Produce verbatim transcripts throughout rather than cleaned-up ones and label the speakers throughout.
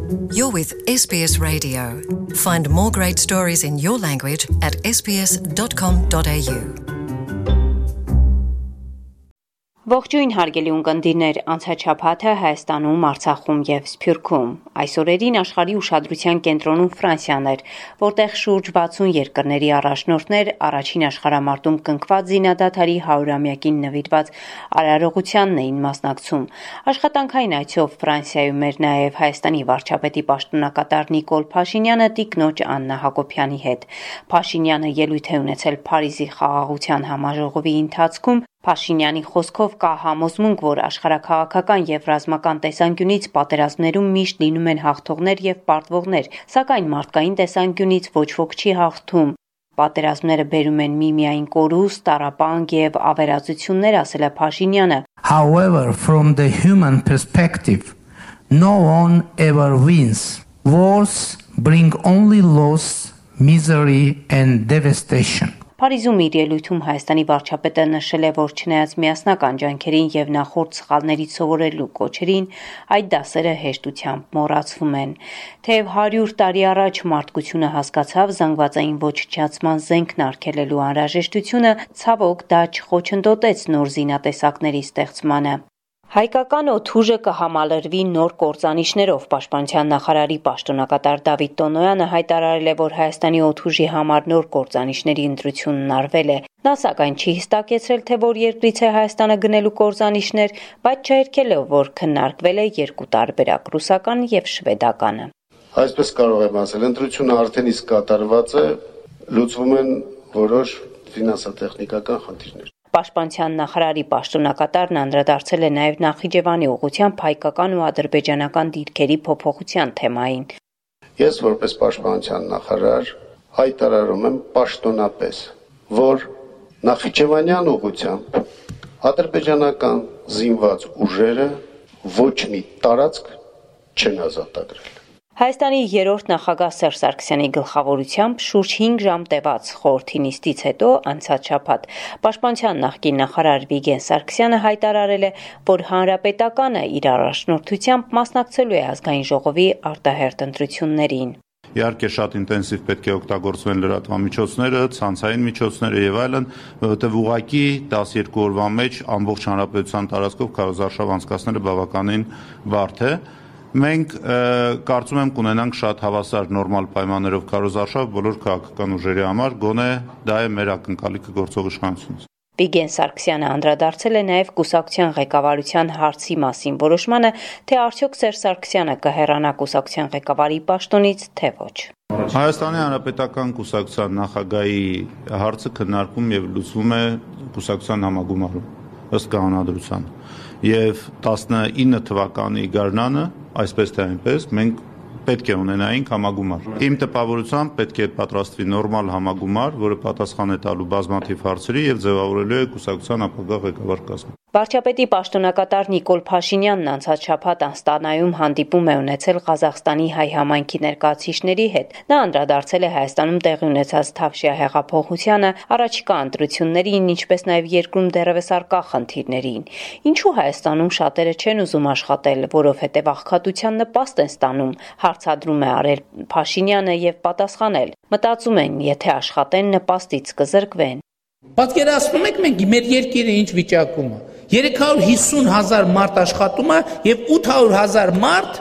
Speaker 1: You're with S B S Radio. Find more great stories in your language at s b s dot com dot a u. Ողջույն հարգելի ունկնդիրներ, անցաչափաթը Հայաստանում, Արցախում եւ Սփյուռքում։ Այս օրերին աշխարհի ուշադրության կենտրոնում Ֆրանսիան էր, որտեղ շուրջ վաթսուն երկրների առաջնորդներ առաջին աշխարհամարտում կնքված զինադադարի հարյուրամյակին նվիրված արարողությանն էին մասնակցում։ Աշխատանքային այցով Ֆրանսիայում էր նաեւ Հայաստանի վարչապետի պաշտոնակատար Նիկոլ Փաշինյանը տիկնոջ Աննա Հակոբյանի հետ։ Փաշինյանը ելույթ է ունեցել Փարիզի խաղաղության համաժողովի ընթացքում։ Փաշինյանի խոսքով կա համոզմունք, որ աշխարհաքաղաքական եւ ռազմական տեսանկյունից պատերազմներում միշտ լինում են հաղթողներ եւ պարտվողներ, սակայն մարդկային տեսանկյունից ոչ ոք չի հաղթում։ Պատերազմները բերում են միմիայն կորուստ, տառապանք եւ ավերածություններ, ասել է Փաշինյանը։
Speaker 2: However, from the human perspective, no one ever wins. Wars bring only loss, misery and devastation.
Speaker 1: Փարիզում իր ելույթում Հայաստանի վարչապետը նշել է, որ չնայած միասնական ջանքերին եւ նախորդ սխալներից սովորելու կոչերին, այդ դասերը հեշտությամբ մոռացվում են։ Թեև հարյուր տարի առաջ մարդկությունը հասկացավ զանգվածային ոչնչացման զենքն արգելելու անհրաժեշտությունը, ցավոք դա չխոչընդոտեց նոր զինատեսակների ստեղծմանը։ Հայկական օդուժը կհամալրվի նոր կործանիչներով։ Պաշտպանության նախարարի պաշտոնակատար Դավիթ Տոնոյանը հայտարարել է, որ Հայաստանի օդուժի համար նոր կործանիչների ընտրությունն արվել է։ Նա սակայն չի հստակեցրել, թե որ երկրից է Հայաստանը գնելու կործանիչներ, բայց չհերքել է, որ քննարկվել է երկու տարբերակ՝ ռուսական եւ շվեդականը։
Speaker 3: Այսպես կարող եմ ասել, ընտրությունը արդեն իսկ կատարված է, լուծվում են որոշ ֆինանսատեխնիկական խնդիրներ։
Speaker 1: Պաշտպանության նախարարի պաշտոնակատարն անդրադարձել է նաև Նախիջևանի ուղղությամբ հայկական ու ադրբեջանական դիրքերի փոփոխության թեմային։
Speaker 3: Ես որպես պաշտպանության նախարար հայտարարում եմ պաշտոնապես, որ Նախիջևանյան ուղղությամբ ադրբեջանական զինված ուժերը ոչ մի տարածք չեն ազատագրել։
Speaker 1: Հայաստանի երրորդ նախագահ Սերժ Սարգսյանի գլխավորությամբ շուրջ հինգ ժամ տևած խորհրդի նիստից հետո անցած շաբաթ Պաշտպանության նախկին նախարար Վիգեն Սարգսյանը հայտարարել է, որ հանրապետականը իր առաջնորդությամբ մասնակցելու է ազգային ժողովի արտահերթ ընտրություններին։
Speaker 4: Իհարկե շատ ինտենսիվ պետք է օգտագործվեն լրատվամիջոցները, ցանցային միջոցները եւ այլն, որովհետեւ ուղղակի տասներկու օրվա մեջ ամբողջ հանրապետության տարածքով քարոզարշավ անցկացնելը բավականին բարդ է։ Մենք կարծում եմ կունենանք շատ հավասար նորմալ պայմաններով քարոզարշավ բոլոր քաղաքական ուժերի համար, գոնե դա է մեր ակնկալիքը գործող իշխանությունից։
Speaker 1: Վիգեն Սարգսյանը անդրադարձել է նաև կուսակցության ղեկավարության հարցի մասին որոշմանը, թե արդյոք Սերժ Սարգսյանը կհեռանա կուսակցության ղեկավարի պաշտոնից, թե ոչ։
Speaker 4: Հայաստանի Հանրապետական կուսակցության նախագահի հարցը քննարկվում եւ լուծվում է կուսակցության համագումարում ըստ կանոնադրության։ Եվ տասնինը թվականի գարնանը, այսպես թե այնպես, մենք պետք է ունենայինք համագումար։ Իմ տպավորությամբ պետք է պատրաստվի նորմալ համագումար, որը պատասխան է տալու բազմաթիվ հարցերի եւ ձևավորելու է կուսակցության ապագա ղեկավար կազմը։
Speaker 1: Վարչապետի պաշտոնակատար Նիկոլ Փաշինյանն անցած շաբաթ Աստանայում հանդիպում է ունեցել Ղազախստանի հայ համայնքի ներկայացուցիչների հետ։ Նա անդրադարձել է Հայաստանում տեղի ունեցած Թավշյա հեղափոխությանը, առաջիկա ընտրություններին, ինչպես նաև երկրում դեռևս առկա խնդիրներին։ Ինչու Հայաստանում շատերը չեն ուզում աշխատել, որովհետև աղքատության նպաստ են ստանում, հարցադրում է արել Փաշինյանը եւ պատասխանել. մտածում են, եթե աշխատեն, նպաստից կզրկվեն։
Speaker 5: Պատկերացնում եք մենք մեր երկիրը ինչ վիճակում է։ երեք հարյուր հիսուն հազար մարդ աշխատում է եւ ութ հարյուր հազար մարդ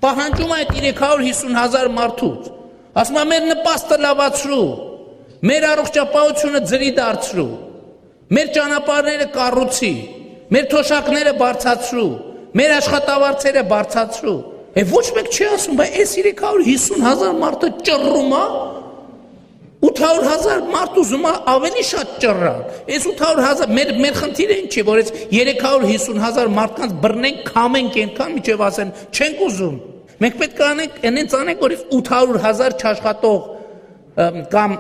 Speaker 5: պահանջում է այդ երեք հարյուր հիսուն հազար մարդուց։ Ասում է մեր նպաստը լավացրու, մեր առողջապահությունը ձրի դարձրու, մեր ճանապարհները կառուցի, մեր թոշակները բարձրացրու, մեր աշխատավարձերը բարձրացրու։ Եվ ոչ մեկ չի ասում, բայց այս երեք հարյուր հիսուն հազար մարդը ճռռում է, ութ հարյուր հազար մարդ ուզում է ավելի շատ ճռռան։ Այս ութ հարյուր հազար մեր մեր խնդիրը ինչ է, որ այս երեք հարյուր հիսուն հազար մարդկանց բռնենք, քամենք այնքան, մինչև ասեն, չենք ուզում։ Մենք պետք է անենք, այնց անենք, որ ութ հարյուր հազար չաշխատող կամ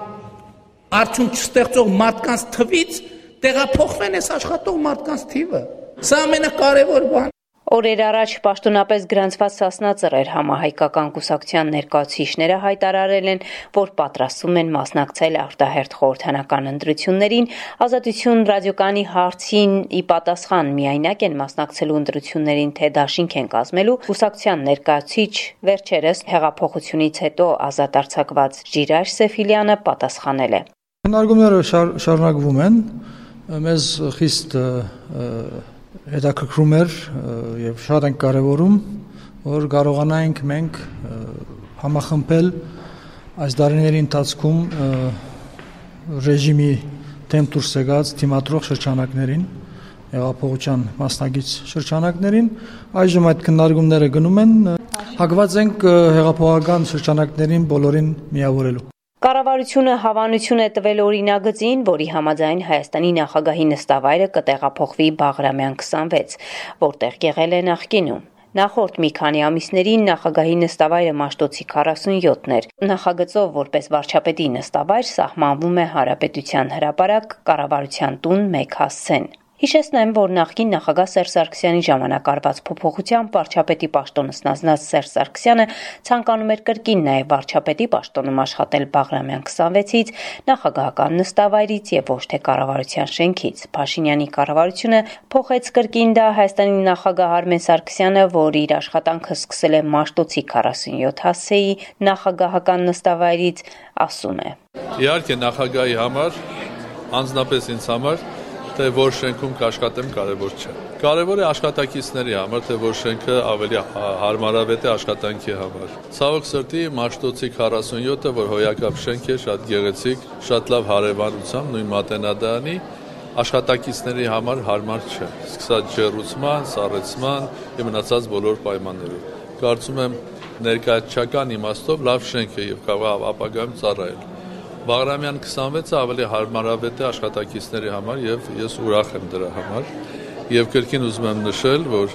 Speaker 5: արդյունք չստեղծող մարդկանց թվից տեղափոխվեն այս աշխատող մարդկանց թիվը։ Սա ամենակարևոր բան։
Speaker 1: Օրեր առաջ պաշտոնապես գրանցված Սասնա Ծռեր համահայկական կուսակցության ներկայացուցիչները հայտարարել են, որ պատրաստվում են մասնակցել արտահերթ խորհրդանական ընտրություններին, Ազատություն ռադիոկայանի հարցին ի պատասխան միայնակ են մասնակցելու ընտրություններին, թե դաշինք են կազմելու, կուսակցության ներկայացուցիչ վերջերս հեղափոխությունից հետո ազատ արձակված Ժիրայր Սեֆիլյանը պատասխանել է.
Speaker 6: Քննարկումները շարունակվում են, մեզ խիստ հետաքրքրում էր եւ շատ ենք կարեւորում, որ կարողանայինք մենք համախմբել այս դարիների ընթացքում ռեժիմի դեմ դուրս եկած թիմադրող շրջանակներին, հեղափոխության մասնակից շրջանակներին, այժմ այդ քննարկումները գնում են, հակված ենք հեղափոխական շրջանակներին բոլորին միավորելու։
Speaker 1: Կառավարությունը հավանություն է տվել օրինագծին, որի համաձայն Հայաստանի նախագահի նստավայրը կտեղափոխվի Բաղրամյան քսանվեց, որտեղ եղել է նախկինում։ Նախորդ մի քանի ամիսներին նախագահի նստավայրը Մաշտոցի քառասունյոթն էր։ Նախագծով որպես վարչապետի նստավայր սահմանվում է Հանրապետության հրապարակ, կառավարության տուն մեկ հասցեն։ Հիշեցնեմ, որ նախկին նախագահ Սերժ Սարգսյանի ժամանակ արված փոփոխությամբ վարչապետի պաշտոնը ստանձնած Սերժ Սարգսյանը ցանկանում էր կրկին նաև վարչապետի պաշտոնում աշխատել Բաղրամյան քսանվեցից, նախագահական նստավայրից եւ ոչ թե կառավարության շենքից։ Փաշինյանի կառավարությունը փոխեց կրկին դա Հայաստանի նախագահ Արմեն Սարգսյանը, որ իր աշխատանքը սկսել է Մաշտոցի քառասունյոթ հասցեի նախագահական նստավայրից, ասում է.
Speaker 7: Իհարկե նախագահի համար, անձնապես ինձ համար թե որ շենքում կաշխատեմ կարևոր չէ։ Կարևոր է աշխատակիցների համար, թե որ շենքը ավելի հարմարավետ է աշխատանքի համար։ Ցավոք սրտի Մաշտոցի քառասունյոթը, որ հոյակապ շենք է, շատ գեղեցիկ, շատ լավ հարևանությամբ, նույն մատենադարանի, աշխատակիցների համար հարմար չէ։ Սկսած ջեռուցման, սառեցման եւ մնացած բոլոր պայմաններով։ Կարծում եմ ներկայացչական իմաստով լավ շենք է եւ կարող ապագայում ծառայել։ Բաղրամյան քսանվեցը ավելի հարմարավետ է աշխատակիցների համար եւ ես ուրախ եմ դրա համար եւ կրկին ուզում եմ նշել, որ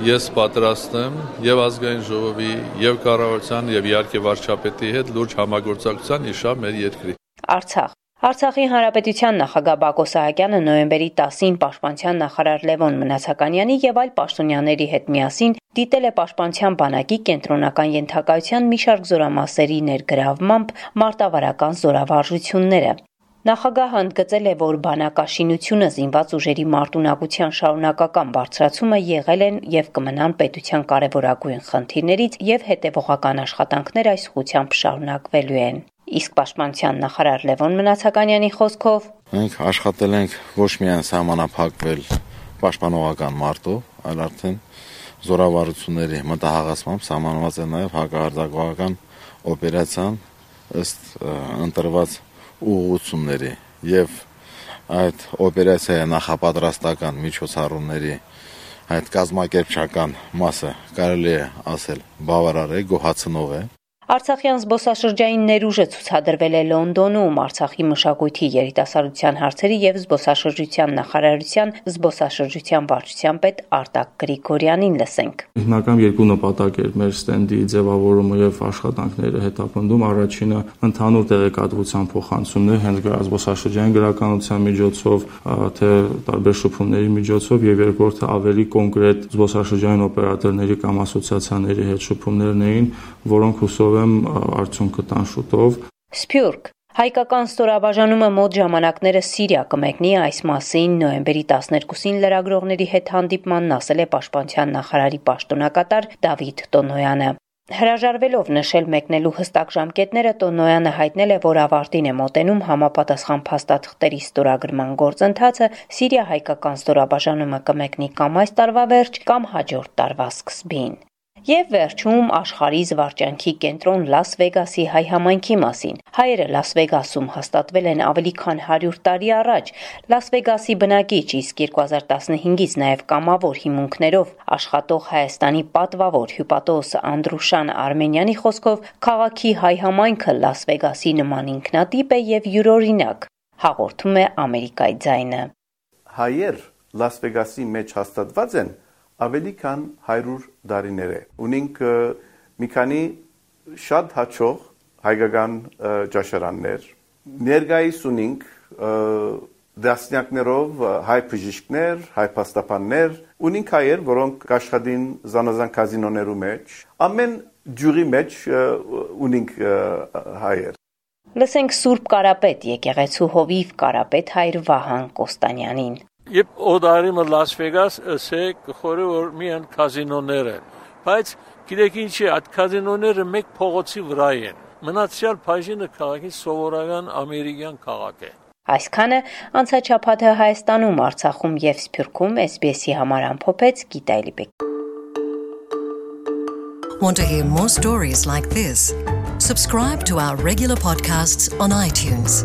Speaker 7: ես պատրաստ եմ եւ ազգային ժողովի եւ կառավարության եւ իհարկե վարչապետի հետ լուրջ համագործակցության իշավ մեր երկրի։
Speaker 1: Արցախ Արցախի Հանրապետության նախագահ Բակո Սահակյանը նոյեմբերի տասին Պաշտպանության նախարար Լևոն Մնացականյանի եւ այլ պաշտոնյաների հետ միասին դիտել է Պաշտպանության բանակի կենտրոնական ենթակայության մի շարք զորամասերի ներգրավմամբ մարտավարական զորավարժությունները։ Նախագահը ընդգծել է, որ բանակաշինությունը, զինված ուժերի մարտունակության շարունակական բարձրացումը եղել են եւ կմնան պետության կարևորագույն խնդիրներից եւ հետեւողական աշխատանքներ այս ուղղությամբ շարունակվելու են։ Իսկ Պաշտպանության նախարար Լևոն Մնացականյանի խոսքով
Speaker 8: մենք աշխատել ենք ոչ միայն սահմանափակվել պաշտպանողական մարտով, այլ արդեն զորավարությունների մտահղացմամբ սահմանված է նաև հակահարձակողական օպերացիան ըստ ընտրված ուղղությունների եւ այդ օպերացիայի նախապատրաստական միջոցառումների այդ կազմակերպչական մասը կարելի է ասել բավարար է, գոհացնող է։
Speaker 1: Արցախյան զբոսաշրջային ներուժը ցուցադրվել է Լոնդոնում Արցախի մշակույթի երիտասարդության հարցերի եւ զբոսաշրջության նախարարության զբոսաշրջության վարչության պետ Արտակ Գրիգորյանին լսենք։
Speaker 9: Հիմնական երկու նպատակ էր մեր ստենդի ձևավորումը եւ աշխատանքները հետապնդում։ Առաջինը ընդհանուր տեղեկատվության փոխանցումն է հենց զբոսաշրջային գրականության միջոցով, թե տարբեր շփումների միջոցով եւ երկրորդը ավելի կոնկրետ զբոսաշրջային օպերատորների կամ ասոցիացիաների հետ շփումներն էին, որոնք հուսով արդյունքը տան շուտով։
Speaker 1: Սփյուռք Հայկական ստորաբաժանումը մոտ ժամանակները Սիրիա կմեկնի այս մասին նոյեմբերի տասներկուսին լրագրողների հետ հանդիպմանն ասել է Պաշտպանության նախարարի պաշտոնակատար Դավիթ Տոնոյանը։ Հրաժարվելով նշել մեկնելու հստակ ժամկետները, Տոնոյանը հայտնել է, որ ավարտին է մոտենում համապատասխան փաստաթղթերի ստորագրման գործընթացը, Սիրիա հայկական ստորաբաժանումը կմեկնի կամ այս տարվա վերջ, կամ հաջորդ տարվա սկզբին։ Եվ վերջում աշխարհի զվարճանքի կենտրոն Լաս Վեգասի հայ համայնքի մասին։ Հայերը Լաս Վեգասում հաստատվել են ավելի քան հարյուր տարի առաջ։ Լաս Վեգասի բնակիչ, իսկ երկու հազար տասնհինգից նաև կամավոր հիմունքներով աշխատող Հայաստանի պատվավոր հյուպատոս Անդրուշան Արմենյանի խոսքով քաղաքի հայ համայնքը Լաս Վեգասի նման ինքնատիպ է եւ յուրօրինակ, հաղորդում է Ամերիկայի ձայնը։
Speaker 10: Հայեր Լաս Վեգասի մեջ հաստատված են ավելի քան հարյուր տարիներ է։ Ունենք մի քանի շատ հաջող հայկական ճաշարաններ։ Ներկայիս ունենք դասնյակներով հայ բժիշկներ, հայ փաստաբաններ, ունենք հայեր, որոնք աշխատին զանազան կազինոներու մեջ, ամեն ջուրի մեջ ունենք հայեր։
Speaker 1: Լսենք Սուրբ Կարապետ եկեղեցու հովիվ Կարապետ հայր Վահան Կոստանյանին։
Speaker 11: Երբ օդարիմը Լաս Վեգաս ասե կխորը որ միան կազինոներ են, բայց գիտեք ինչի, այդ կազինոները մեկ փողոցի վրա են։ Մնացյալ բաժինը քաղաքի սովորական ամերիկյան քաղաք է։
Speaker 1: Այսքանը անցաչափաթը Հայաստանում, Արցախում եւ Սփյուռքում էս բի էսի համար ամփոփեց Գիտա Էլիբեկ։
Speaker 12: Want to hear more stories like this? Subscribe to our regular podcasts on iTunes.